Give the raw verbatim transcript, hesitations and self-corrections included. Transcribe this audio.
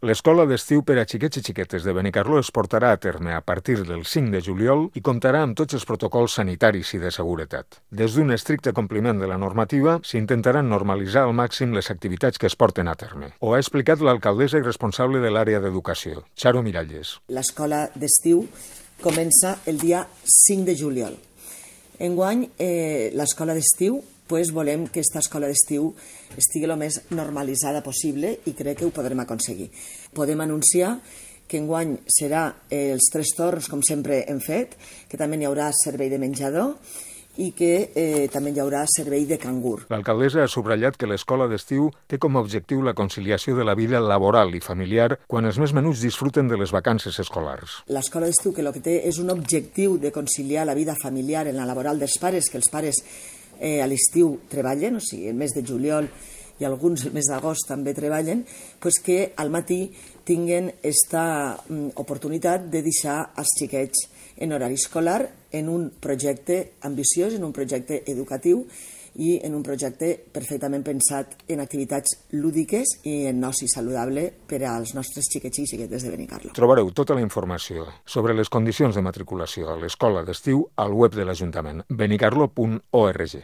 L'escola d'estiu per a xiquets i xiquetes de Benicarló es portarà a terme a partir del cinc de juliol i comptarà amb tots els protocols sanitaris i de seguretat. Des d'un estricte compliment de la normativa, s'intentaran normalitzar al màxim les activitats que es porten a terme. Ho ha explicat l'alcaldessa i responsable de l'àrea d'educació, Charo Miralles. L'escola d'estiu comença el dia cinc de juliol. Enguany, eh, l'escola d'estiu, pues, volem que aquesta escola d'estiu estigui el més normalitzada possible i crec que ho podrem aconseguir. Podem anunciar que enguany serà els tres torns, com sempre hem fet, que també hi haurà servei de menjador i que eh, també hi haurà servei de cangur. L'alcaldessa ha subratllat que l'escola d'estiu té com a objectiu la conciliació de la vida laboral i familiar quan els més menuts disfruten de les vacances escolars. L'escola d'estiu que el que té és un objectiu de conciliar la vida familiar en la laboral dels pares, que els pares eh, a l'estiu treballen, o sigui, el mes de juliol i alguns el mes d'agost també treballen, pues que al matí tinguen aquesta mm, oportunitat de deixar els xiquets en horari escolar en un projecte ambiciós, en un projecte educatiu i en un projecte perfectament pensat en activitats lúdiques i en oci saludable per als nostres xiquets i xiquetes de Benicarló. Trobareu tota la informació sobre les condicions de matriculació a l'escola d'estiu al web de l'Ajuntament, benicarló punt org.